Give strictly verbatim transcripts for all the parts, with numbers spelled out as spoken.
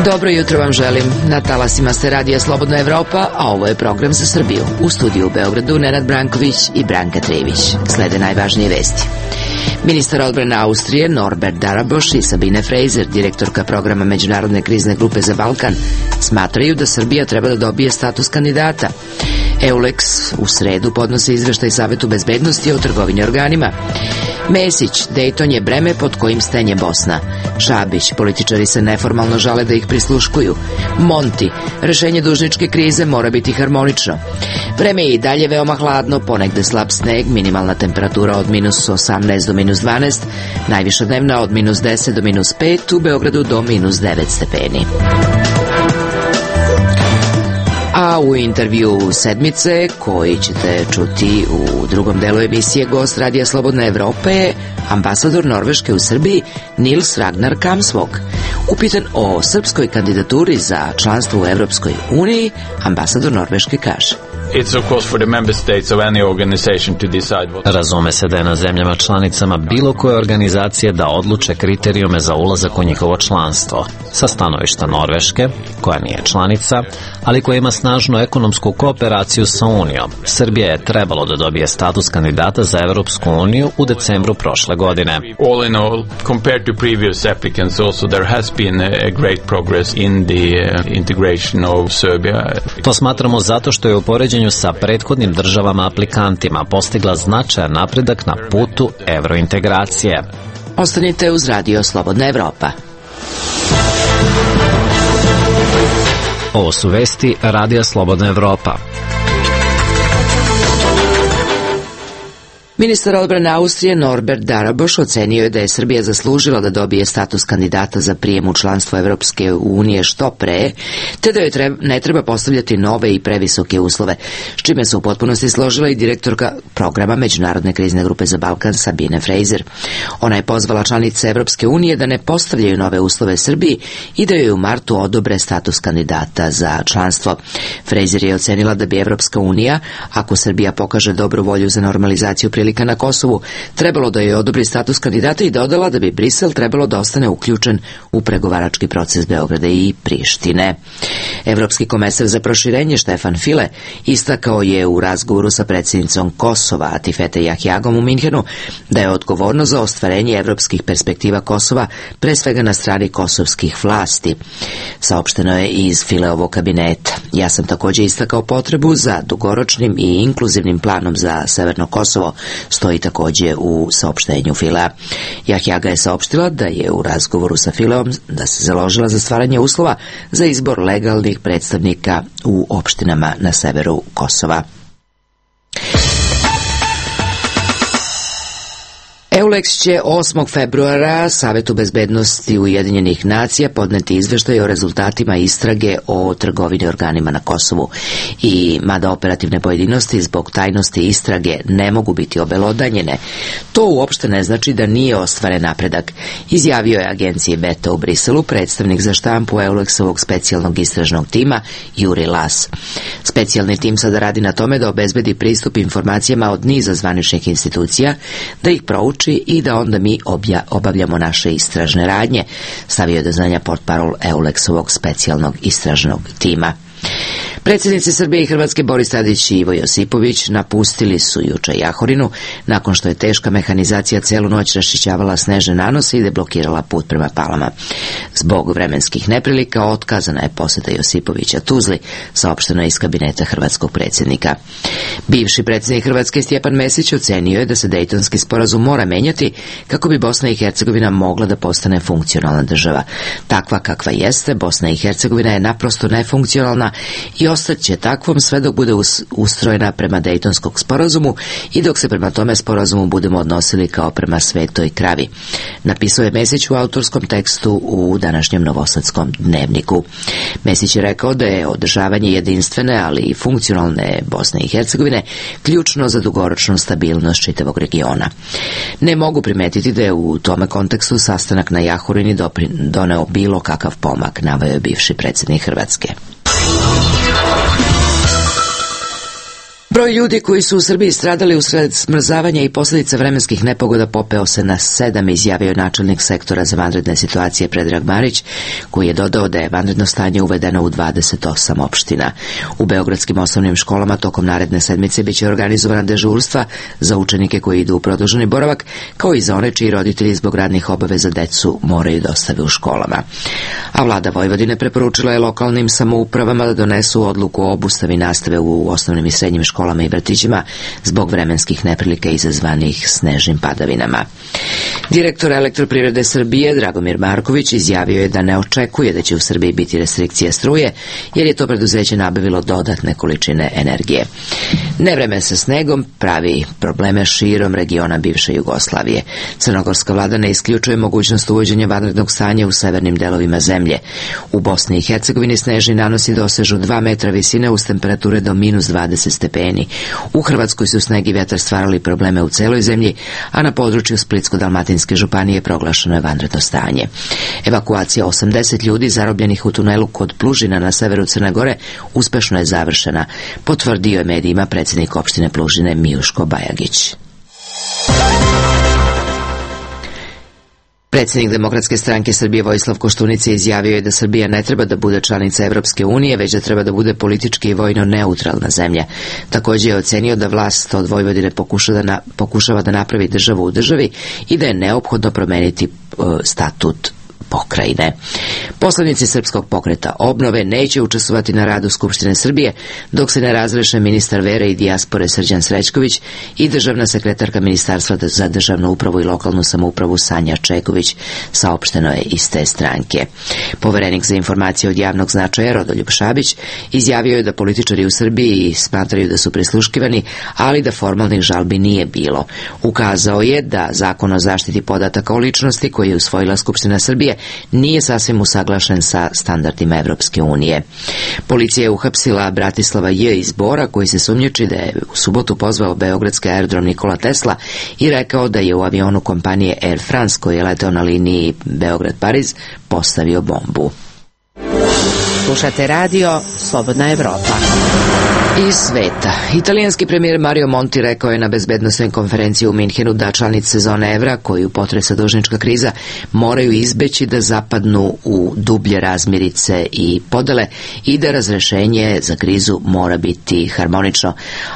Dobro jutro vam želim. Na talasima ste Radija Slobodna Evropa, a ovo je program za Srbiju. U studiju u Beogradu Nenad Branković i Branka Trević. Slede najvažnije vesti. Ministar odbrane Austrije Norbert Daraboš i Sabine Fraser, direktorka programa Međunarodne krizne grupe za Balkan, smatraju da Srbija treba da dobije status kandidata. Eulex u sredu podnose izveštaj Savetu bezbednosti o trgovini organima. Mesić, Dejton je breme pod kojim stenje Bosna. Šabić, političari se neformalno žale da ih prisluškuju. Monti, rešenje dužničke krize mora biti harmonično. Vreme je i dalje veoma hladno, ponegde slab sneg, minimalna temperatura od minus osamnaest do minus dvanaest, najviša dnevna od minus deset do minus pet, u Beogradu do minus devet stepeni. A u intervju sedmice, koji ćete čuti u drugom delu emisije, gost Radija Slobodne Evrope je ambasador Norveške u Srbiji Nils Ragnar Kamsvog. Upitan o srpskoj kandidaturi za članstvo u Evropskoj uniji, ambasador Norveške kaže: Razume se da je na zemljama članicama bilo koje organizacije da odluče kriterijume za ulazak u njihovo članstvo. Sa stanovišta Norveške, koja nije članica, ali koja ima snažnu ekonomsku kooperaciju sa Unijom, Srbija je trebalo da dobije status kandidata za Evropsku uniju u decembru prošle godine. All in all, compared to previous applicants, also there has been a great progress in the integration of Serbia. To smatramo zato što je u poređenju sa prethodnim državama aplikantima postigla značajan napredak na putu evrointegracije. Ostanite uz Radio Slobodna Evropa. Ovo su vesti Radija Slobodna Evropa. Ministar odbrane Austrije Norbert Daraboš ocenio je da je Srbija zaslužila da dobije status kandidata za prijem u članstvo Evropske unije što pre, te da joj treba, ne treba postavljati nove i previsoke uslove, s čime se u potpunosti složila i direktorka programa Međunarodne krizne grupe za Balkan Sabine Fraser. Ona je pozvala članice Evropske unije da ne postavljaju nove uslove Srbiji i da joj u martu odobre status kandidata za članstvo. Fraser je ocenila da bi Evropska unija, ako Srbija pokaže dobru volju za normalizaciju prilika na Kosovu, trebalo da joj odobri status kandidata i dodala da bi Brisel trebalo da ostane uključen u pregovarački proces Beograda i Prištine. Evropski komesar za proširenje Štefan File istakao je u razgovoru sa predsjednicom Kosova Atifete Jahjagom u Minhenu da je odgovorno za ostvarenje evropskih perspektiva Kosova pre svega na strani kosovskih vlasti. Saopšteno je iz Fileovog kabineta. Ja sam također istakao potrebu za dugoročnim i inkluzivnim planom za Severno Kosovo, stoji također u saopštenju Filea. Jahjaga je saopštila da je u razgovoru sa Fileom da se založila za stvaranje uslova za izbor legalnih predstavnika u opštinama na severu Kosova. Eulex će osmog februara Savetu bezbednosti Ujedinjenih nacija podneti izveštaj o rezultatima istrage o trgovini organima na Kosovu. I mada operativne pojedinosti zbog tajnosti istrage ne mogu biti obelodanjene, to uopšte ne znači da nije ostvaren napredak, izjavio je agenciji Beta u Briselu predstavnik za štampu Eulexovog specijalnog istražnog tima Juri Las. Specijalni tim sada radi na tome da obezbedi pristup informacijama od niza zvaničnih institucija, da ih prouči i da onda mi obja, obavljamo naše istražne radnje, stavio je do znanja portparol Eulexovog specijalnog istražnog tima. Predsjednici Srbije i Hrvatske Boris Tadić i Ivo Josipović napustili su juče Jahorinu nakon što je teška mehanizacija celu noć raščišćavala snežne nanose i deblokirala put prema Palama. Zbog vremenskih neprilika otkazana je poseta Josipovića Tuzli, saopšteno je iz kabineta hrvatskog predsjednika. Bivši predsjednik Hrvatske Stjepan Mesić ocenio je da se Dejtonski sporazum mora menjati kako bi Bosna i Hercegovina mogla da postane funkcionalna država. Takva kakva jeste, Bosna i Hercegovina je naprosto nefunkcionalna i ostaće takvom sve dok bude ustrojena prema Dejtonskog sporazumu i dok se prema tome sporazumu budemo odnosili kao prema svetoj kravi. Napisao je Mesić u autorskom tekstu u današnjem Novosadskom dnevniku. Mesić je rekao da je održavanje jedinstvene, ali i funkcionalne Bosne i Hercegovine ključno za dugoročnu stabilnost čitavog regiona. Ne mogu primetiti da je u tome kontekstu sastanak na Jahorini doneo bilo kakav pomak, naveo je bivši predsjednik Hrvatske. Broj ljudi koji su u Srbiji stradali usred smrzavanja i posljedica vremenskih nepogoda popeo se na sedam, izjavio je načelnik sektora za vanredne situacije Predrag Marić, koji je dodao da je vanredno stanje uvedeno u dvadeset osam opština. U beogradskim osnovnim školama tokom naredne sedmice biće organizovana dežurstva za učenike koji idu u produženi boravak, kao i za one čiji roditelji zbog radnih obaveza decu moraju da ostave u školama. A vlada Vojvodine preporučila je lokalnim samoupravama da donesu odluku o obustavi nastave u osnovnim i srednjim školama i vrtićima zbog vremenskih neprilika izazvanih snežnim padavinama. Direktor Elektroprivrede Srbije Dragomir Marković izjavio je da ne očekuje da će u Srbiji biti restrikcija struje, jer je to preduzeće nabavilo dodatne količine energije. Nevreme sa snegom pravi probleme širom regiona bivše Jugoslavije. Crnogorska vlada ne isključuje mogućnost uvođenja vanrednog stanja u severnim delovima zemlje. U Bosni i Hercegovini snežni nanosi dosežu dva metra visine uz temperature do minus dvadeset stepeni. U Hrvatskoj su sneg i vjetar stvarali probleme u celoj zemlji, a na području Splitsko-dalmatinske županije proglašeno je vanredno stanje. Evakuacija osamdeset ljudi zarobljenih u tunelu kod Plužina na severu Crne Gore uspešno je završena, potvrdio je medijima predsjednik opštine Plužine Mijuško Bajagić. Predsjednik Demokratske stranke Srbije Vojislav Koštunica izjavio je da Srbija ne treba da bude članica Evropske unije, već da treba da bude politički i vojno neutralna zemlja. Također je ocenio da vlast od Vojvodine pokušava da, na, pokušava da napravi državu u državi i da je neophodno promeniti uh, statut pokrajine. Poslanici Srpskog pokreta obnove neće učestvovati na radu Skupštine Srbije dok se ne razreše ministar vere i dijaspore Srđan Srećković i državna sekretarka Ministarstva za državnu upravu i lokalnu samoupravu Sanja Čeković, saopšteno je iz te stranke. Poverenik za informacije od javnog značaja Rodoljub Šabić izjavio je da političari u Srbiji smatraju da su prisluškivani, ali da formalnih žalbi nije bilo. Ukazao je da Zakon o zaštiti podataka o ličnosti koji je usvojila Skupština Srbije nije sasvim usaglašen sa standardima Evropske unije. Policija je uhapsila Bratislava J. iz Bora, koji se sumnjiči da je u subotu pozvao beogradski aerodrom Nikola Tesla i rekao da je u avionu kompanije Air France, koji je leteo na liniji Beograd-Pariz, postavio bombu. Slušate radio Slobodna Evropa. Iz sveta. Italijanski premijer Mario Monti rekao je na bezbednosnoj konferenciji u Minhenu da članice zone evra, koju potresa dužnička kriza, moraju izbeći da zapadnu u dublje razmirice i podele i da razrešenje za krizu mora biti harmonično.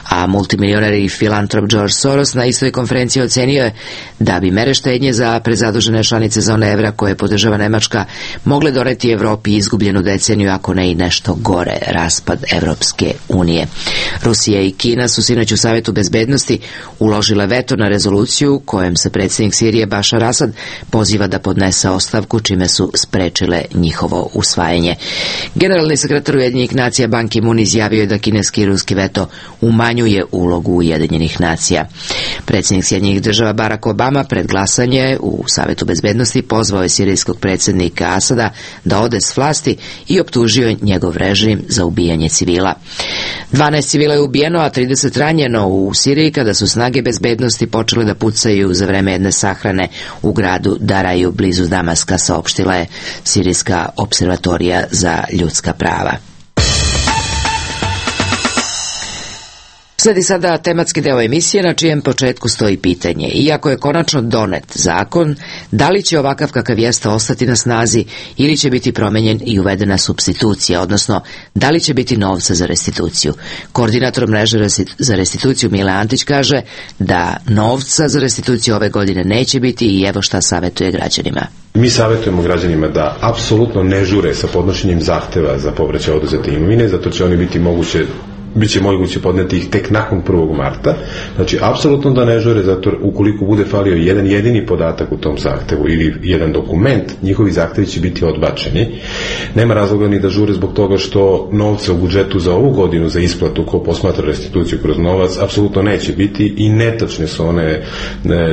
A multimilioner i filantrop George Soros na istoj konferenciji ocenio je da bi mere štednje za prezadužene članice zone evra, koje podržava Nemačka, mogle doneti Evropi izgubljenu deceniju, ako ne i nešto gore, raspad Evropske unije. Rusija i Kina su sinoć u Savetu bezbednosti uložile veto na rezoluciju kojem se predsjednik Sirije Bašar Asad poziva da podnese ostavku, čime su sprečile njihovo usvajanje. Generalni sekretar Ujedinjenih nacija Ban Ki-moon izjavio je da kineski i ruski veto umanjuje ulogu Ujedinjenih nacija. Predsjednik Sjedinjenih država Barack Obama pred glasanje u Savetu bezbednosti pozvao je sirijskog predsjednika Asada da ode s vlasti i optužio njegov režim za ubijanje civila. dvanaest civila je ubijeno, a trideset ranjeno u Siriji kada su snage bezbednosti počele da pucaju za vreme jedne sahrane u gradu Daraju blizu Damaska, saopštila je Sirijska observatorija za ljudska prava. Sledi sada tematski deo emisije na čijem početku stoji pitanje. Iako je konačno donet zakon, da li će ovakav kakav jeste ostati na snazi ili će biti promenjen i uvedena supstitucija, odnosno da li će biti novca za restituciju. Koordinator mreže za restituciju Mile Antić kaže da novca za restituciju ove godine neće biti i evo šta savjetuje građanima. Mi savjetujemo građanima da apsolutno ne žure sa podnošenjem zahteva za povraćaj oduzete imovine, zato će oni biti moguće biće moguće podneti ih tek nakon prvog marta. Znači, apsolutno da ne žure, zato ukoliko bude falio jedan jedini podatak u tom zahtevu ili jedan dokument, njihovi zahtevi će biti odbačeni. Nema razloga ni da žure zbog toga što novca u budžetu za ovu godinu za isplatu ko posmatra restituciju kroz novac apsolutno neće biti i netačne su one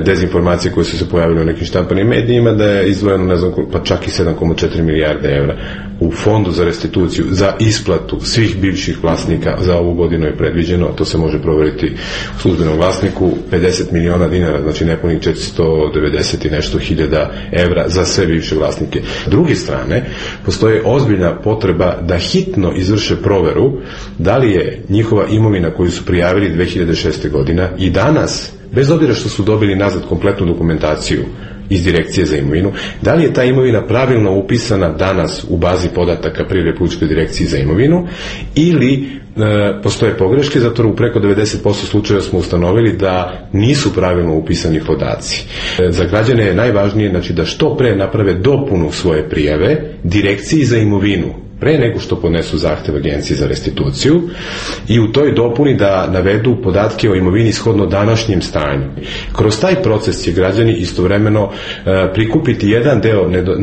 dezinformacije koje su se pojavile u nekim štampanim medijima da je izdvojeno, ne znam, pa čak i sedam zarez četiri milijarde evra u fondu za restituciju za isplatu svih bivših vlasnika za ovu godinu je predviđeno, to se može proveriti u službenom glasniku, pedeset miliona dinara, znači nepunih četiristo devedeset i nešto hiljada evra za sve bivše vlasnike. S druge strane, postoje ozbiljna potreba da hitno izvrše proveru da li je njihova imovina koju su prijavili dve hiljade šeste godina i danas, bez obzira što su dobili nazad kompletnu dokumentaciju iz Direkcije za imovinu, da li je ta imovina pravilno upisana danas u bazi podataka pri Republičkoj direkciji za imovinu ili e, postoje pogreške, zato u preko devedeset posto slučajeva smo ustanovili da nisu pravilno upisani podaci. E, za građane je najvažnije, znači, da što pre naprave dopunu svoje prijave Direkciji za imovinu pre nego što podnesu zahtev Agenciji za restituciju i u toj dopuni da navedu podatke o imovini shodno današnjem stanju. Kroz taj proces će građani istovremeno e, prikupiti jedan deo nedo, e,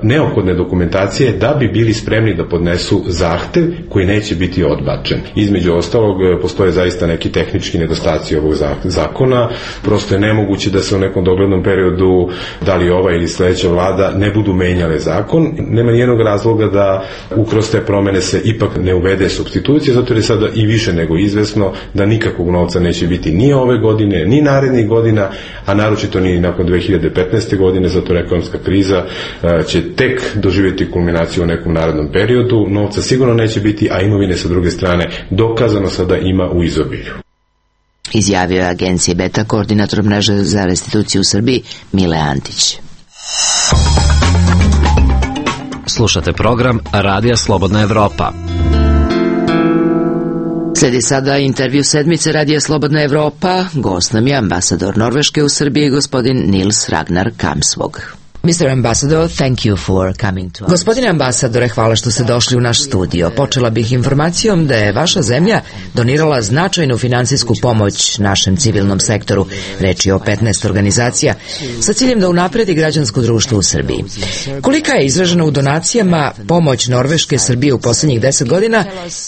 neophodne dokumentacije da bi bili spremni da podnesu zahtev koji neće biti odbačen. Između ostalog, e, postoje zaista neki tehnički nedostaci ovog zakona, prosto je nemoguće da se u nekom doglednom periodu, da li ova ili sledeća vlada, ne budu menjale zakon. Nema nijednog razloga da ukroz te promene se ipak ne uvede supstitucija, zato je sada i više nego izvesno da nikakvog novca neće biti ni ove godine, ni narednih godina, a naročito ni nakon dve hiljade petnaeste godine, zato je ekonomska kriza će tek doživjeti kulminaciju u nekom narednom periodu. Novca sigurno neće biti, a imovine sa druge strane dokazano sada ima u izobilju. Izjavio je agencije Beta koordinator mreže za restituciju u Srbiji Mile Antić. Slušate program Radija Slobodna Evropa. Sledi sada intervju sedmice Radija Slobodna Evropa. Gost nam je ambasador Norveške u Srbiji, gospodin Nils Ragnar Kamsvog. mister Ambassador, thank you for coming to us. Gospodine ambasadore, hvala što ste došli u naš studio. Počela bih informacijom da je vaša zemlja donirala značajnu finansijsku pomoć našem civilnom sektoru. Reč je o petnaest organizacija sa ciljem da unapredi građansko društvo u Srbiji. Kolika je izražena u donacijama pomoć Norveške Srbije u poslednjih deset godina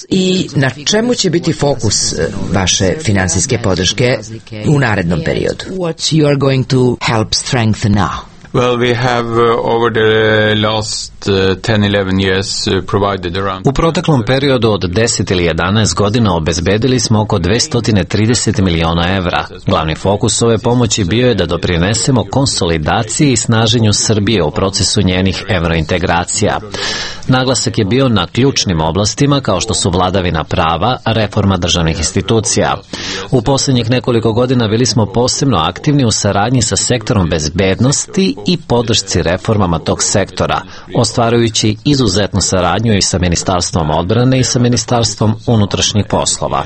i na čemu će biti fokus vaše finansijske podrške u narednom periodu? What you are going to help strengthen now? Well, we have uh, over the last uh, ten to eleven years uh, provided around... U proteklom periodu od deset ili jedanaest godina obezbedili smo oko dvesta trideset miliona evra. Glavni fokus ove pomoći bio je da doprinesemo konsolidaciji i snaženju Srbije u procesu njenih evrointegracija. Naglasak je bio na ključnim oblastima kao što su vladavina prava, reforma državnih institucija. U posljednjih nekoliko godina bili smo posebno aktivni u saradnji sa sektorom bezbednosti i podršci reformama tog sektora, ostvarujući izuzetnu saradnju i sa Ministarstvom odbrane i sa Ministarstvom unutrašnjih poslova.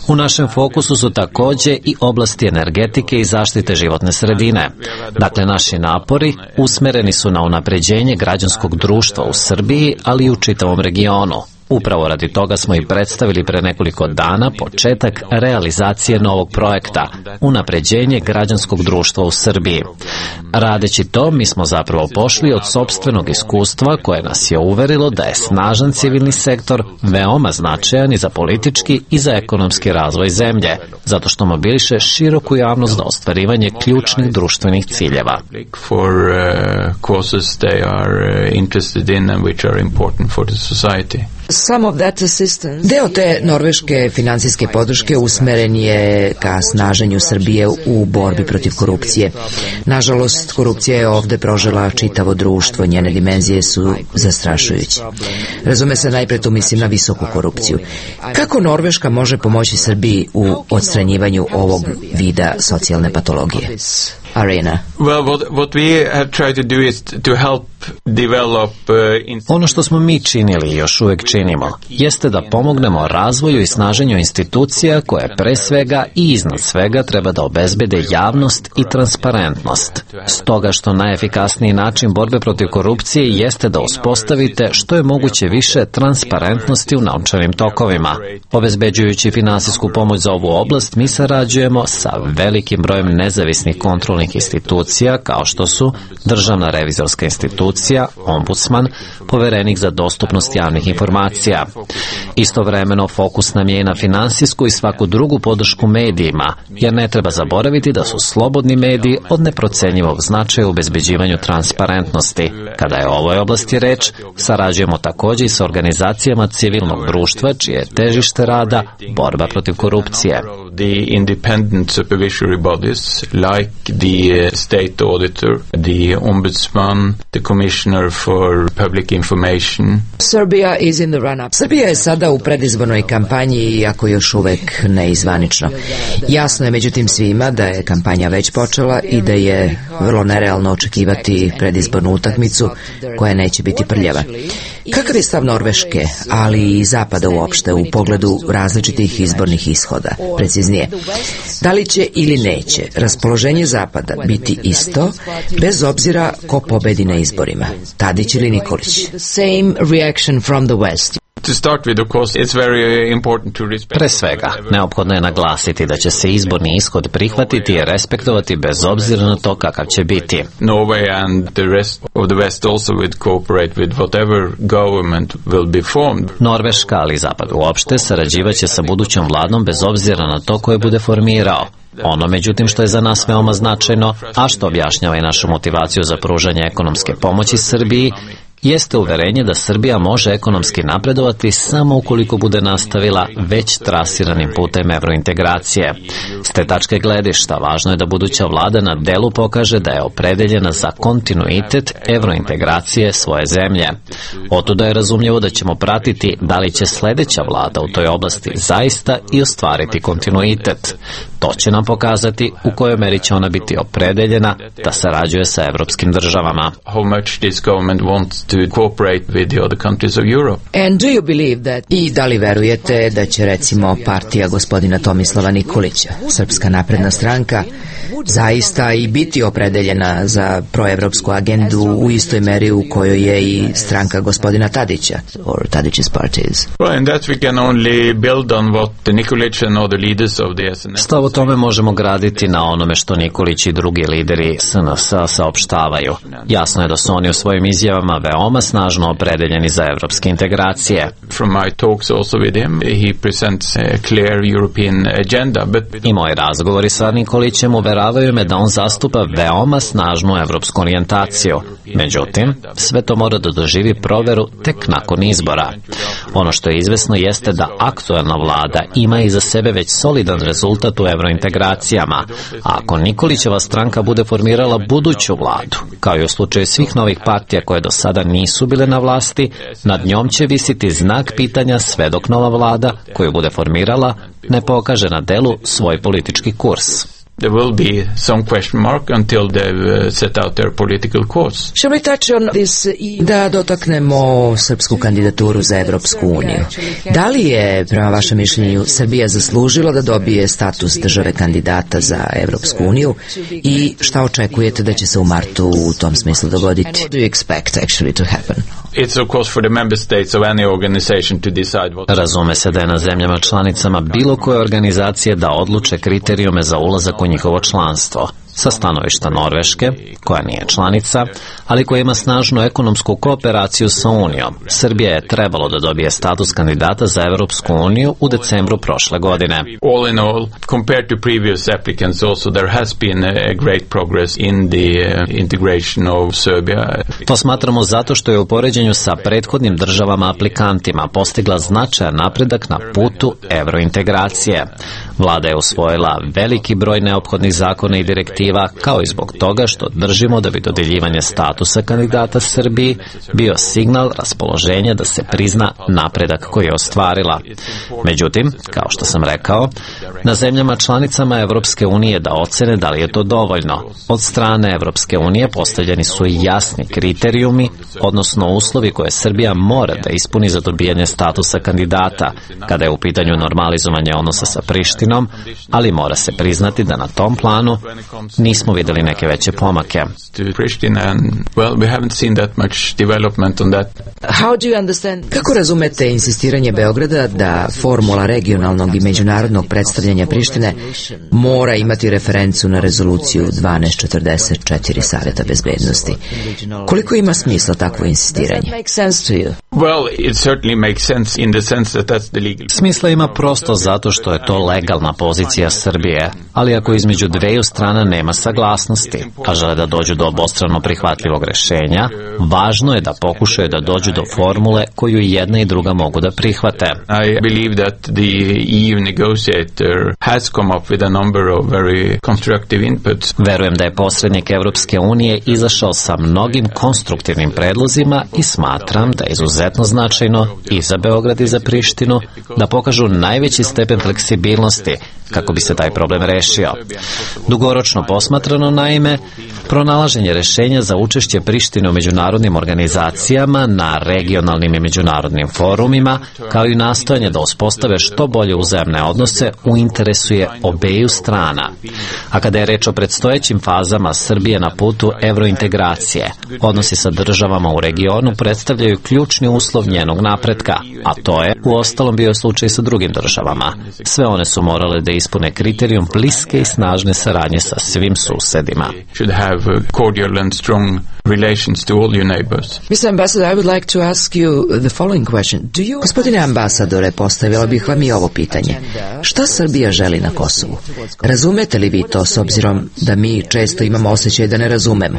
U našem fokusu su takođe i oblasti energetike i zaštite životne sredine. Dakle, naši napori usmereni su na unapređenje građanskog društva u Srbiji, ali i u čitavom regionu. Upravo radi toga smo i predstavili pre nekoliko dana početak realizacije novog projekta, unapređenje građanskog društva u Srbiji. Radeći to, mi smo zapravo pošli od sopstvenog iskustva koje nas je uverilo da je snažan civilni sektor veoma značajan i za politički i za ekonomski razvoj zemlje, zato što mobiliše široku javnost za ostvarivanje ključnih društvenih ciljeva. For uh, causes they are uh, interested in and which are important for the society. Deo te norveške finansijske podrške usmeren je ka snaženju Srbije u borbi protiv korupcije. Nažalost, korupcija je ovde prožela čitavo društvo, njene dimenzije su zastrašujuće. Razume se, najpre tu mislim na visoku korupciju. Kako Norveška može pomoći Srbiji u odstranjivanju ovog vida socijalne patologije? Arena. Well, what, what we have tried to do is to help develop uh, in... Ono što smo mi činili i još uvek činimo jeste da pomognemo razvoju i snaženju institucija koje pre svega i iznad svega treba da obezbede javnost i transparentnost. Stoga što najefikasniji način borbe protiv korupcije jeste da uspostavite što je moguće više transparentnosti u novčanim tokovima. Obezbeđujući finansijsku pomoć za ovu oblast, mi sarađujemo sa velikim brojem nezavisnih kontrolnih nacionalnih institucija kao što su Državna revizorska institucija, ombudsman, poverenik za dostupnost javnih informacija. Istovremeno fokus nam je i na finansijsku i svaku drugu podršku medijima, jer ne treba zaboraviti da su slobodni mediji od neprocenjivog značaja u obezbeđivanju transparentnosti. Kada je o ovoj oblasti reč, sarađujemo također i sa organizacijama civilnog društva, čije je težište rada borba protiv korupcije. The independent supervisory bodies like the state auditor, the ombudsman, the commissioner for public information. Serbia is in the run-up. Srbija je sada u predizbornoj kampanji, iako još uvek neizvanično. Jasno je međutim svima da je kampanja već počela i da je vrlo nerealno očekivati predizbornu utakmicu koja neće biti prljava. Kakav je stav Norveške, ali i Zapada uopšte u pogledu različitih izbornih ishoda? Preciznije, da li će ili neće raspoloženje Zapada biti isto, bez obzira ko pobedi na izborima, Tadić ili Nikolić? Same reaction from the West. Pre svega, neophodno je naglasiti da će se izborni ishod prihvatiti i respektovati bez obzira na to kakav će biti. Norway and the rest of the West also would cooperate with whatever government will be formed. Norveška, ali i Zapad uopšte, sarađivaće sa budućom vladom bez obzira na to koje bude formirao. Ono, međutim, što je za nas veoma značajno, a što objašnjava i našu motivaciju za pružanje ekonomske pomoći Srbiji, jeste uverenje da Srbija može ekonomski napredovati samo ukoliko bude nastavila već trasiranim putem evrointegracije. S te tačke gledišta, važno je da buduća vlada na delu pokaže da je opredeljena za kontinuitet evrointegracije svoje zemlje. Otuda je razumljivo da ćemo pratiti da li će sledeća vlada u toj oblasti zaista i ostvariti kontinuitet. To će nam pokazati u kojoj meri će ona biti opredeljena da sarađuje sa evropskim državama. How much this government wants to cooperate with the other countries of Europe. And do you believe that... I da li verujete da će recimo partija gospodina Tomislava Nikolića, Srpska napredna stranka, zaista i biti opredeljena za proevropsku agendu u istoj meri u kojoj je i stranka gospodina Tadića, or Tadić's parties? Well, in that we can only build on what the Nikolić and other leaders of the S N S. Stav o tome možemo graditi na onome što Nikolić i drugi lideri S N S saopštavaju. Jasno je da su oni u svojim izjavama veoma snažno opredeljeni za evropske integracije. From my talks also with him, he presents a clear European agenda, but... I moji razgovori sa Nikolićem uveravaju me da on zastupa veoma snažnu evropsku orijentaciju. Međutim, sve to mora da doživi proveru tek nakon izbora. Ono što je izvesno jeste da aktuelna vlada ima iza sebe već solidan rezultat u evrointegracijama, a ako Nikolićeva stranka bude formirala buduću vladu, kao i u slučaju svih novih partija koje do sada nisu bile na vlasti, nad njom će visiti znak pitanja sve dok nova vlada, koju bude formirala, ne pokaže na delu svoj politički kurs. There will be some question mark until they've set out their political course. Shall we touch on this? Da dotaknemo srpsku kandidaturu za Evropsku uniju. Da li je, prema vašem mišljenju, Srbija zaslužila da dobije status države kandidata za Evropsku uniju i šta očekujete da će se u martu u tom smislu dogoditi? What do you expect actually to happen? It's of course for the member states of any organization to decide what... Razume se da je na zemljama članicama bilo koje organizacije da odluče kriterijume za ulazak u njihovo članstvo. Sa stanovišta Norveške, koja nije članica, ali koja ima snažnu ekonomsku kooperaciju sa Unijom, Srbija je trebalo da dobije status kandidata za Evropsku uniju u decembru prošle godine. All in all, compared to previous applicants also, there has been a great progress in the integration of Serbia. To smatramo zato što je u poređenju sa prethodnim državama aplikantima postigla značajan napredak na putu evrointegracije. Vlada je usvojila veliki broj neophodnih zakona i direktiva, kao i zbog toga što držimo da bi dodeljivanje statusa kandidata Srbiji bio signal raspoloženja da se prizna napredak koji je ostvarila. Međutim, kao što sam rekao, na zemljama članicama Evropske unije da ocene da li je to dovoljno. Od strane Evropske unije postavljeni su jasni kriterijumi, odnosno uslovi koje Srbija mora da ispuni za dobijanje statusa kandidata, kada je u pitanju normalizovanje odnosa sa Prištinom, Prištinom, ali mora se priznati da na tom planu nismo vidjeli neke veće pomake. Kako razumete insistiranje Beograda da formula regionalnog i međunarodnog predstavljanja Prištine mora imati referencu na rezoluciju dvanaest četrdeset četiri Saveta bezbednosti? Koliko ima smisla takvo insistiranje? Smisla ima prosto zato što je to legalna pozicija Srbije, ali ako između dveju strana nema saglasnosti, a žele da dođu do obostrano prihvatljivog rešenja, važno je da pokušaju da dođu do formule koju i jedna i druga mogu da prihvate. I believe that the E U negotiator has come up with a number of very constructive inputs. Verujem da je posrednik Evropske unije izašao sa mnogim konstruktivnim predlozima i smatram da je izuzetno značajno i za Beograd i za Prištinu da pokažu najveći stepen fleksibilnosti kako bi se taj problem rešio. Dugoročno posmatrano, naime, pronalaženje rešenja za učešće Prištine u međunarodnim organizacijama, na regionalnim i međunarodnim forumima, kao i nastojanje da uspostave što bolje uzajamne odnose u interesu je obeju strana. A kada je reč o predstojećim fazama Srbije na putu evrointegracije, odnosi sa državama u regionu predstavljaju ključni uslov njenog napretka, a to je u ostalom bio slučaj sa drugim državama. Sve one su morale da ispune kriterijum bliske i snažne saradnje sa svim susedima. mister Ambassador, I would like to ask you the following question. Do you... Gospodine ambasadore, postavila bih vam i ovo pitanje. Šta Srbija želi na Kosovu? Razumete li vi to s obzirom da mi često imamo osjećaj da ne razumemo?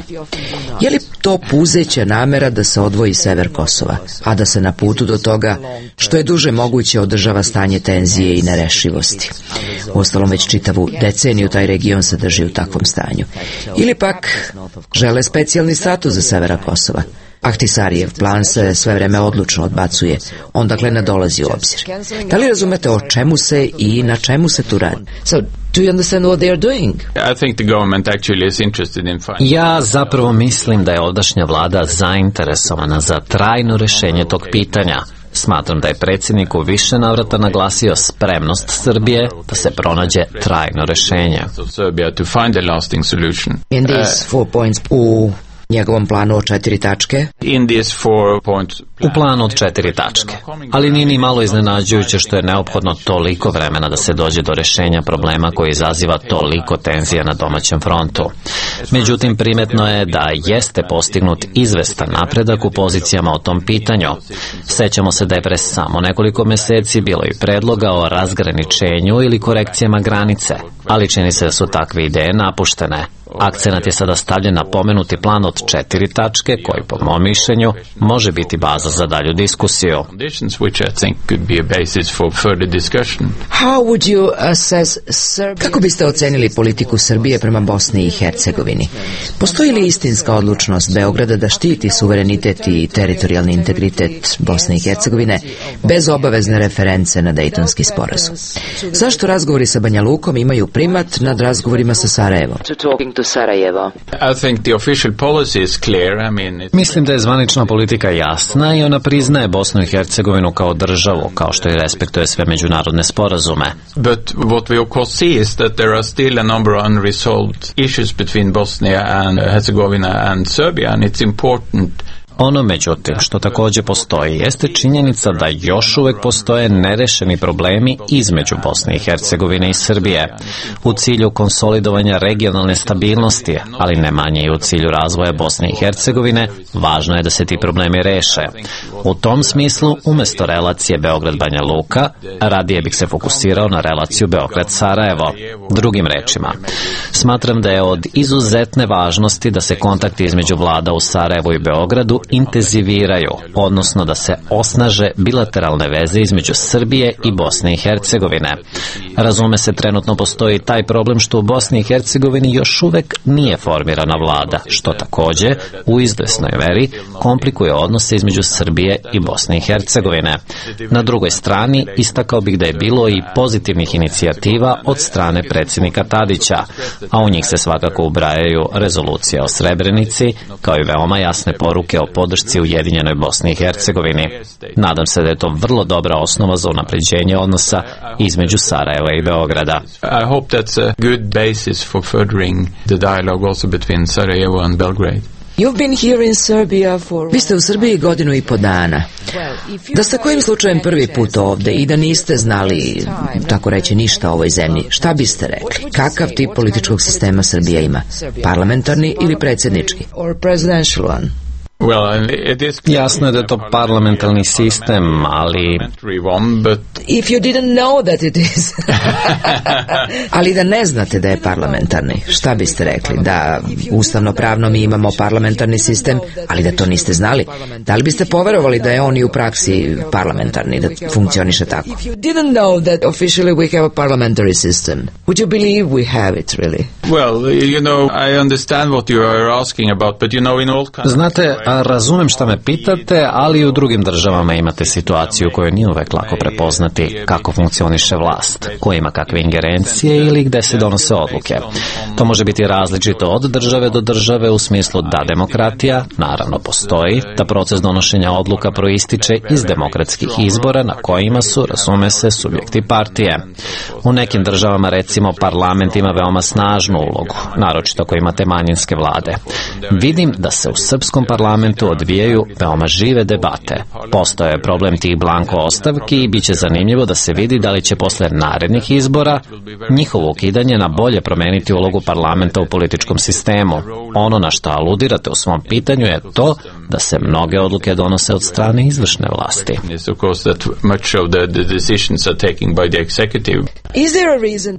Je li to puzeća namera da se odvoji sever Kosova, a da se na putu do toga što je duže moguće održava stanje tenzije i nerešivosti? Uostalom već čitavu deceniju taj region se drži u takvom stanju. Ili pak žele specijalni status za severa Kosova? Ahtisarijev plan se sve vreme odlučno odbacuje, on dakle ne dolazi u obzir. Da li razumete o čemu se i na čemu se tu radi? So, do you understand what they are doing? I think the government actually is interested in finding... Ja zapravo mislim da je ovdašnja vlada zainteresovana za trajno rešenje tog pitanja. Smatram da je predsjednik u više navrata naglasio spremnost Srbije da se pronađe trajno rešenje. In these four points, u njegovom planu od četiri tačke? U planu od četiri tačke. Ali nije ni malo iznenađujuće što je neophodno toliko vremena da se dođe do rešenja problema koji izaziva toliko tenzija na domaćem frontu. Međutim, primetno je da jeste postignut izvestan napredak u pozicijama o tom pitanju. Sećamo se da je pre samo nekoliko meseci bilo i predloga o razgraničenju ili korekcijama granice, ali čini se da su takve ideje napuštene. Akcenat je sada stavljen na pomenuti plan od četiri tačke, koji po mom mišljenju može biti baza za dalju diskusiju. Kako biste ocenili politiku Srbije prema Bosni i Hercegovini? Postoji li istinska odlučnost Beograda da štiti suverenitet i teritorijalni integritet Bosne i Hercegovine bez obavezne reference na Dejtonski sporazum? Zašto razgovori sa Banja Lukom imaju primat nad razgovorima sa Sarajevom? Sarajevo. Mislim da je zvanična politika jasna i ona priznaje Bosnu i Hercegovinu kao državu, kao što i respektuje sve međunarodne sporazume. But what we of course see is that there are still a number of unresolved issues between Bosnia and Herzegovina and Serbia, and it's important. Ono, međutim, što također postoji, jeste činjenica da još uvek postoje nerešeni problemi između Bosne i Hercegovine i Srbije, u cilju konsolidovanja regionalne stabilnosti, ali ne manje i u cilju razvoja Bosne i Hercegovine, važno je da se ti problemi reše. U tom smislu, umjesto relacije Beograd-Banja Luka, radije bih se fokusirao na relaciju Beograd-Sarajevo. Drugim rečima, smatram da je od izuzetne važnosti da se kontakti između vlada u Sarajevu i Beogradu intenziviraju, odnosno da se osnaže bilateralne veze između Srbije i Bosne i Hercegovine. Razume se, trenutno postoji taj problem što u Bosni i Hercegovini još uvek nije formirana vlada, što također u izvesnoj meri komplikuje odnose između Srbije i Bosne i Hercegovine. Na drugoj strani, istakao bih da je bilo i pozitivnih inicijativa od strane predsjednika Tadića, a u njih se svakako ubrajaju rezolucija o Srebrenici, kao i veoma jasne poruke o podršci Ujedinjenoj Bosni i Hercegovini. Nadam se da je to vrlo dobra osnova za unapređenje odnosa između Sarajeva i Beograda. I hope that's a good basis for furthering the dialogue also between Sarajevo and Belgrade. You've been here in Serbia for... Vi ste u Srbiji godinu i po dana. Da ste kojim slučajem prvi put ovde i da niste znali, tako reći, ništa o ovoj zemlji, šta biste rekli? Kakav tip političkog sistema Srbija ima? Parlamentarni ili predsjednički? Or presidential one? Jasno je da je to parlamentarni sistem, ali... If you didn't know that it is. Ali da ne znate da je parlamentarni, šta biste rekli? Da ustavno-pravno mi imamo parlamentarni sistem, ali da to niste znali? Da li biste poverovali da je on i u praksi parlamentarni, da funkcioniše tako? If you didn't know that officially we have a parliamentary system, would you believe we have it really? Well, you know, I understand what you are asking about, but you know, in all countries... Znate, razumem šta me pitate, ali i u drugim državama imate situaciju koju nije uvek lako prepoznati kako funkcioniše vlast, ko ima kakve ingerencije ili gde se donose odluke. To može biti različito od države do države u smislu da demokratija, naravno, postoji, da proces donošenja odluka proističe iz demokratskih izbora na kojima su, razume se, subjekti partije. U nekim državama, recimo, parlament ima veoma snažnu ulogu, naročito ako imate manjinske vlade. Vidim da se u srpskom parlamentu odvijaju veoma žive debate. Postoje problem tih blanko ostavki i bit će zanimljivo da se vidi da li će posle narednih izbora njihovo ukidanje na bolje promeniti ulogu parlamenta u političkom sistemu. Ono na što aludirate u svom pitanju je to da se mnoge odluke donose od strane izvršne vlasti.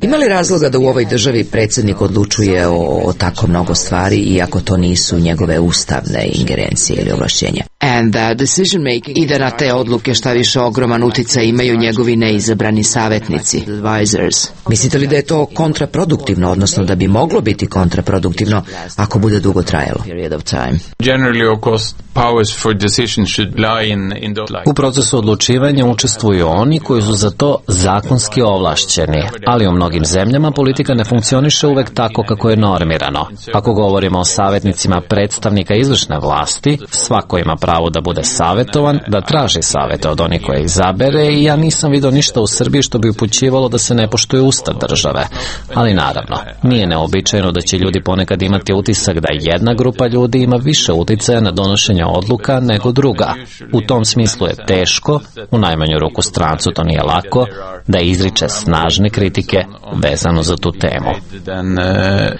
Ima li razloga da u ovoj državi predsjednik odlučuje o, o tako mnogo stvari iako to nisu njegove ustavne ingerencije ili ovlašćenja? And that decision making, i da na te odluke šta više ogroman uticaj imaju njegovi neizabrani savjetnici, advisors. Mislite li da je to kontraproduktivno, odnosno da bi moglo biti kontraproduktivno ako bude dugo trajalo? U procesu odlučivanja učestvuju oni koji su za to zakonski ovlašćeni, ali u mnogim zemljama politika ne funkcioniše uvek tako kako je normirano. Ako govorimo o savjetnicima predstavnika izvršne vlasti, svako ima pravo da bude savjetovan, da traži savjete od onih koje izabere i ja nisam vidio ništa u Srbiji što bi upućivalo da se ne poštuje ustav države. Ali naravno, nije neobičajno da će ljudi ponekad imati utisak da jedna grupa ljudi ima više uticaja na donošenje odluka nego druga. U tom smislu je teško, u najmanju ruku strancu to nije lako, da izriče snažne kritike vezano za tu temu.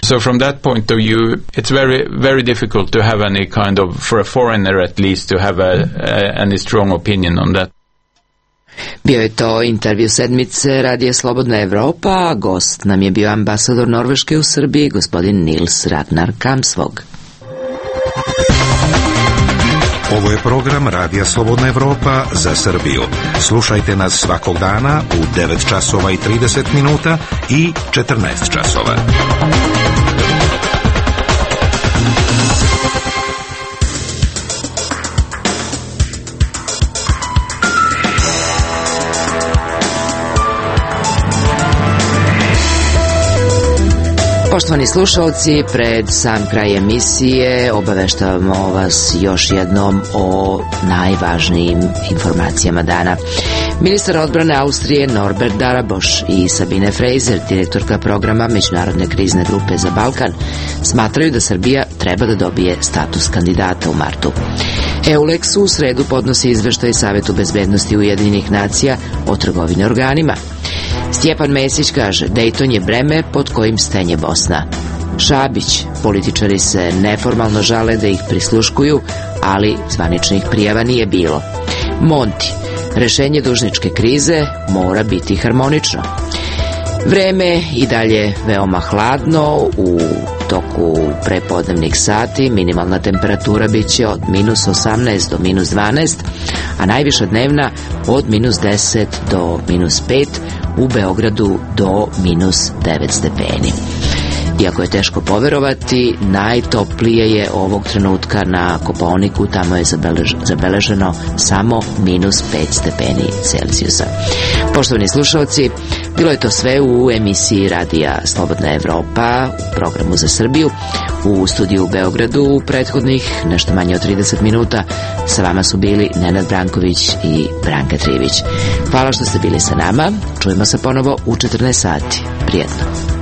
So from that point of view, it's very very difficult to have any kind of, for a foreigner at least, to have a, a, any strong opinion on that. Bio je to intervju sedmice Radija Slobodna Evropa, a gost nam je bio ambasador Norveške u Srbiji, gospodin Nils Ragnar Kamsvog. Ovo je program Radija Slobodna Evropa za Srbiju. Slušajte nas svakog dana u devet časova i trideset minuta i četrnaest časova. Poštovani slušalci, pred sam kraj emisije obaveštavamo vas još jednom o najvažnijim informacijama dana. Ministar odbrane Austrije Norbert Daraboš i Sabine Fraser, direktorka programa Međunarodne krizne grupe za Balkan, smatraju da Srbija treba da dobije status kandidata u martu. EULEX u sredu podnosi izveštaj Savetu bezbednosti Ujedinjenih nacija o trgovini organima. Stjepan Mesić kaže, Dejton je breme pod kojim stenje Bosna. Šabić, političari se neformalno žale da ih prisluškuju, ali zvaničnih prijava nije bilo. Monti, rešenje dužničke krize mora biti harmonično. Vreme i dalje veoma hladno, u toku prepodnevnih sati minimalna temperatura biće od minus osamnaest do minus dvanaest, a najviša dnevna od minus deset do minus pet, u Beogradu do minus devet stepeni. Iako je teško poverovati, najtoplije je ovog trenutka na Kopaoniku, tamo je zabelež, zabeleženo samo minus pet stepeni Celzijusa. Poštovani slušalci, bilo je to sve u emisiji Radija Slobodna Evropa, u programu za Srbiju. U studiju u Beogradu u prethodnih nešto manje od trideset minuta sa vama su bili Nenad Branković i Branka Trivić. Hvala što ste bili sa nama. Čujemo se ponovo u četrnaest sati. Prijetno.